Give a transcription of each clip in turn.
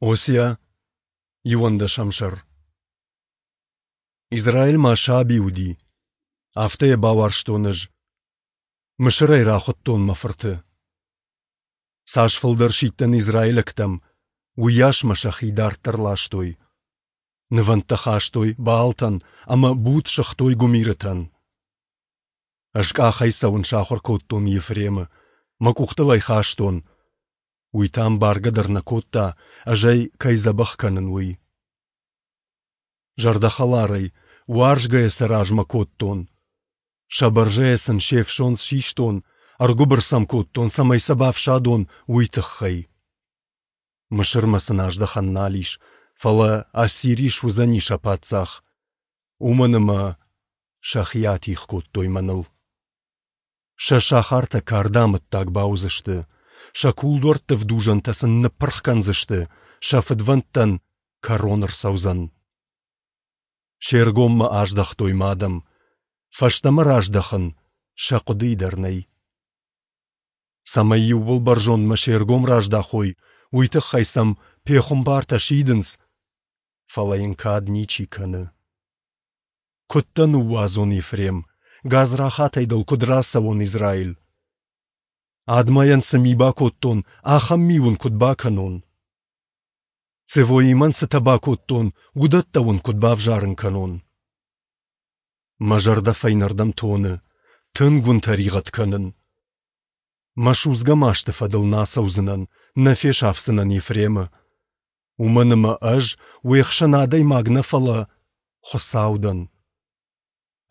Осиа, иуӕндӕсӕм сӕр. Израиль ма саби уыди, афтӕ йӕ бауарзтон ӕз. Мысырӕй рахуыдтон мӕ фырты. Цас фылдӕр сидтӕн израилӕгтӕм, уыйас мӕ сӕхи дарддӕр ластой. Нывӕндтӕ хастой Баалтӕн ӕмӕ буд сыгътой гуымирытӕн. Ӕз къахӕй цӕуын сахуыр кодтон Ефремы, мӕ къухтыл ӕй хастон. Уый та ӕмбаргӕ дӕр нӕ кодта, ӕз ӕй кӕй дзӕбӕх кӕнын, уый. Зӕрдӕхӕларӕй, уарзгӕйӕ сӕ размӕ кодтон. Сӕ бӕрзӕйӕ сын се фсондз систон, ӕргуыбыр сӕм кодтон, цӕмӕй сӕ бафсадон, уый тыххӕй. Мысырмӕ сын аздӕхӕн нал ис, фӕлӕ Ассири суыдзӕни сӕ паддзах, уымӕн ӕмӕ сӕхи атигъ кодтой мӕныл. Сӕ сахартӕ карды амӕттаг бауыдзысты, сӕ кулдуӕртты ӕвдузӕнтӕ сын ныппырх кӕндзысты, сӕ фыдвӕндтӕн кӕрон ӕрцӕудзӕн. Се ргом мӕ аздӕхтой мӕ адӕм, фӕстӕмӕ раздӕхын сӕ хъуыдыйы дӕр нӕй. Цӕмӕй Иууылбӕрзондмӕ се ргом раздахой, уый тыххӕй сӕм пехуымпартӕ сидынц, фӕлӕ йын кад ничи кӕны. Куыд дӕ ныууадзон, Ефрем, гадзрахатӕй дыл куыд рацӕуон, Израиль? Адмайӕн цы ми бакодтон, ахӕм ми уын куыд бакӕнон? Цевоимӕн цытӕ бакодтон, уыдӕттӕ уын куыд бавзарын кӕнон? Мӕ зӕрдӕ фӕйнӕрдӕм тоны, тынг уын тӕригъӕд кӕнын. Мӕ судзгӕ масты фӕдыл нӕ ацӕудзынӕн, нӕ фесафдзынӕн Ефремы. Уымӕн ӕмӕ ӕз уе хсӕн адӕймаг нӕ, фӕлӕ Хуыцау дӕн.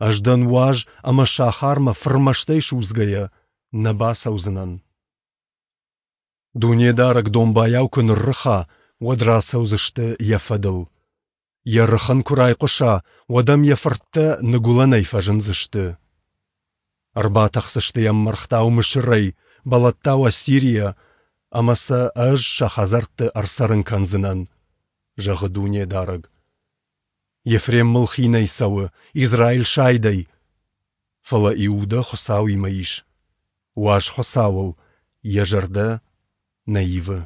Ӕз дӕн уаз ӕмӕ сахармӕ фырмӕстӕй судзгӕйӕ нӕ бацӕудзынӕн. Дунедарӕг домбайау куы ныррыха, уӕд рацӕудзысты йӕ фӕдыл. Йӕ рыхын куы райхъуыса, уӕд ӕм йӕ фырттӕ ныгуылӕнӕй фӕзындзысты. Ӕрбатӕхдзысты йӕм мӕргътау Мысырӕй, бӕлӕттау Ассирийӕ, ӕмӕ сӕ ӕз сӕ хӕдзӕртты ӕрцӕрын кӕндзынӕн, зӕгъы Дунедарӕг. Ефрем мыл хинӕй цӕуы, Израиль сайдӕй. Фӕлӕ Иудӕ Хуыцауимӕ ис. Уаз Хуыцауыл йӕ зӕрдӕ нӕ ивы.